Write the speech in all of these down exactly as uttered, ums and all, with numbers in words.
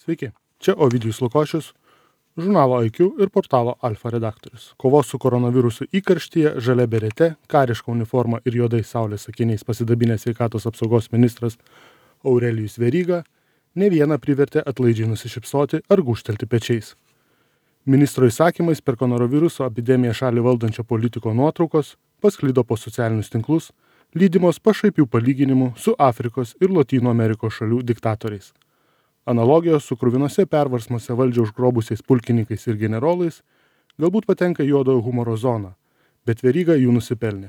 Sveiki, čia Ovidijus Lukošius, žurnalo I Q ir portalo Alfa redaktorius. Kovos su koronavirusu įkarštyje, žalia berete, kariška uniforma ir juodais saulės akiniais pasidabinęs sveikatos apsaugos ministras Aurelijus Veryga ne vieną privertė atlaidžiai nusišypsoti ar gūžtelti pečiais. Ministro įsakymais per koronaviruso epidemiją šalį valdančio politiko nuotraukos pasklido po socialinius tinklus, lydimos pašaipių palyginimų su Afrikos ir Lotynų Amerikos šalių diktatoriais. Analogijos su kruvinose perversmuose valdžią užgrobusiais pulkininkais ir generolais galbūt patenka juodojo humoro zoną, bet Veryga jų nusipelnė.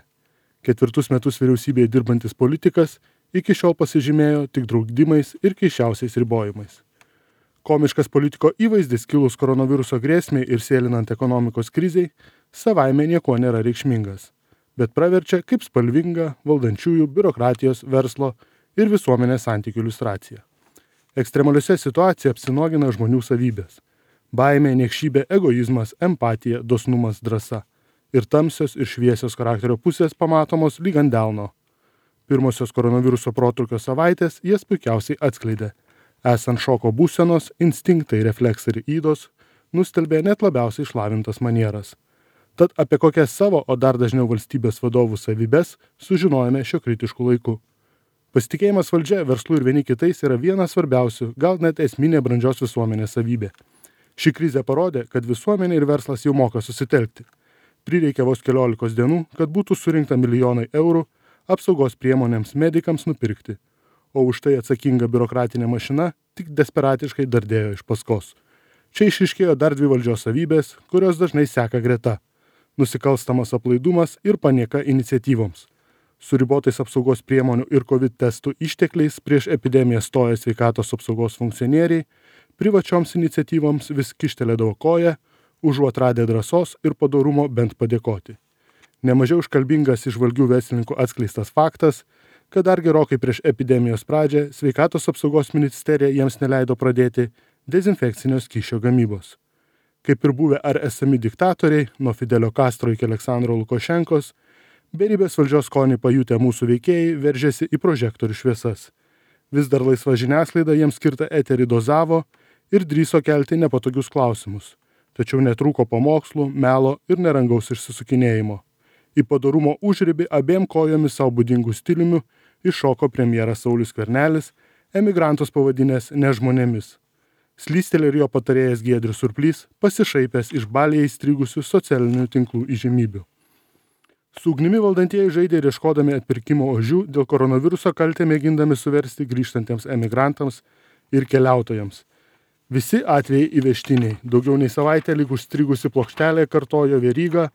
Ketvirtus metus vyriausybėje dirbantis politikas iki šiol pasižymėjo tik draudimais ir keisčiausiais ribojimais. Komiškas politiko įvaizdis kilus koronaviruso grėsmei ir sėlinant ekonomikos krizei savaime nieko nėra reikšmingas, bet praverčia kaip spalvinga valdančiųjų, biurokratijos, verslo ir visuomenės santykių iliustracija. Ekstremaliuose situacijose apsinogina žmonių savybės. Baimė, niekšybė, egoizmas, empatija, dosnumas, drąsa. Ir tamsios ir šviesios charakterio pusės pamatomos lyg ant delno. Pirmosios koronaviruso protrūkio savaitės jas puikiausiai atskleidė. Esant šoko būsenos, instinktai, refleksai ir ydos nustelbė net labiausiai išlavintas manieras. Tad apie kokias savo, o dar dažniau valstybės vadovų savybės sužinojome šio kritišku laiku. Pasitikėjimas valdžia, verslu ir vieni kitais yra vienas svarbiausių, gal net esminė brandžios visuomenės savybė. Ši krizė parodė, kad visuomenė ir verslas jau moka susitelkti. Prireikė vos keliolikos dienų, kad būtų surinkta milijonai eurų apsaugos priemonėms medikams nupirkti, o už tai atsakinga biurokratinė mašina tik desperatiškai dardėjo iš paskos. Čia išryškėjo dar dvi valdžios savybės, kurios dažnai seka greta – nusikalstamas aplaidumas ir panieka iniciatyvoms. Su ribotais apsaugos priemonių ir COVID testų ištekliais prieš epidemiją stoję sveikatos apsaugos funkcionieriai privačioms iniciatyvoms vis kištelėdavo koją, užuot radę drąsos ir padorumo bent padėkoti. Nemažiau iškalbingas įžvalgių verslininkų atskleistas faktas, kad dar gerokai prieš epidemijos pradžią sveikatos apsaugos ministerija jiems neleido pradėti dezinfekcinio skysčio gamybos. Kaip ir buvę ar esami diktatoriai, nuo Fidelio Castro iki Aleksandro Lukašenkos, beribės valdžios skonį pajutę mūsų veikėjai veržėsi į prožektorių šviesas. Vis dar laisva žiniasklaida jiems skirtą eterį dozavo ir drįso kelti nepatogius klausimus. Tačiau netrūko pamokslų, melo ir nerangaus išsisukinėjimo. Į padorumo užribį abiem kojomis savo būdingų stiliumi iššoko premjeras Saulius Skvernelis, emigrantus pavadinęs nežmonėmis. Slystelė ir jo patarėjas Giedrius Surplys pasišaipęs iš Balyje įstrigusių socialinių tinklų įžymybių. Su ugnimi valdantieji žaidė ir ieškodami atpirkimo ožių dėl koronaviruso kaltę mėgindami suversti grįžtantiems emigrantams ir keliautojams. Visi atvejai įvežtiniai, daugiau nei savaitę lyg užstrigusi plokštelė kartojo Veryga,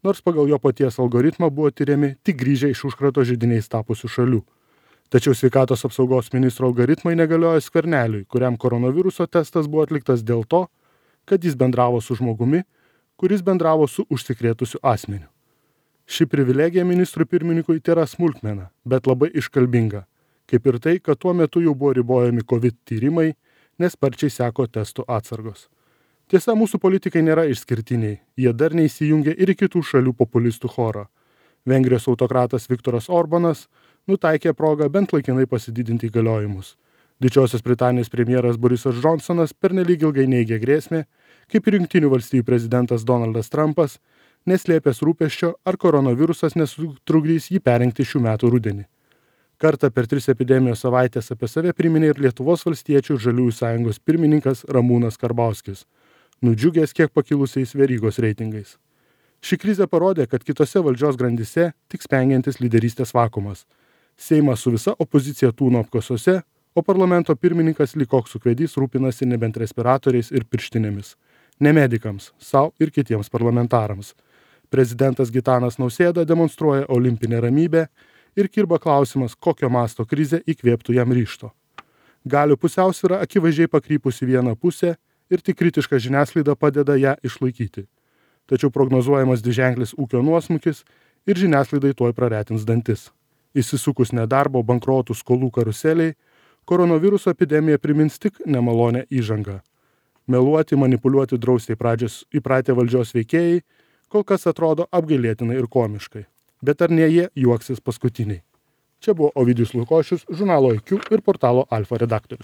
nors pagal jo paties algoritmą buvo tyriami tik grįžę iš užkrato židiniais tapusių šalių. Tačiau sveikatos apsaugos ministro algoritmai negalioja Skverneliui, kuriam koronaviruso testas buvo atliktas dėl to, kad jis bendravo su žmogumi, kuris bendravo su užsikrėtusiu asmeniu. Ši privilegija ministrui pirmininkui tėra smulkmena, bet labai iškalbinga, kaip ir tai, kad tuo metu jau buvo ribojami COVID tyrimai, nes sparčiai seko testų atsargos. Tiesa, mūsų politikai nėra išskirtiniai, jie dar neįsijungia ir į kitų šalių populistų chorą. Vengrijos autokratas Viktoras Orbanas nutaikė progą bent laikinai pasididinti įgaliojimus. Didžiosios Britanijos premjeras Borisas Džonsonas pernelyg ilgai neigė grėsmę, kaip ir Jungtinių valstijų prezidentas Donaldas Trumpas, neslėpęs rūpesčio, ar koronavirusas nesutrukdys jį perrinkti šių metų rudenį. Kartą per tris epidemijos savaitės apie save priminė ir Lietuvos valstiečių žaliųjų sąjungos pirmininkas Ramūnas Karbauskis, nudžiugęs kiek pakilusiais Verygos reitingais. Ši krizė parodė, kad kitose valdžios grandyse tik spengiantis lyderystės vakuumas. Seimas su visa opozicija tūno apkasuose, o parlamento pirmininkas lyg koks ūkvedys rūpinasi nebent respiratoriais ir pirštinėmis. Ne medikams, sau ir kitiems parlamentarams. Prezidentas Gitanas Nausėda demonstruoja olimpinę ramybę ir kirba klausimas, kokio masto krizė įkvėptų jam ryžto. Galių pusiausvyra akivaizdžiai pakrypusi vieną pusę ir tik kritiška žiniasklaida padeda ją išlaikyti. Tačiau prognozuojamas dviženklis ūkio nuosmukis ir žiniasklaidai tuoj praretins dantis. Įsisukus nedarbo, bankrotų, skolų karuseliai, koronaviruso epidemija primins tik nemalonę įžangą. Meluoti, manipuliuoti drausiai pradžios įpratę valdžios veikėjai kol kas atrodo apgailėtinai ir komiškai. Bet ar ne jie juoksis paskutiniai? Čia buvo Ovidijus Lukošius, žurnalo I Q ir portalo Alfa redaktorius.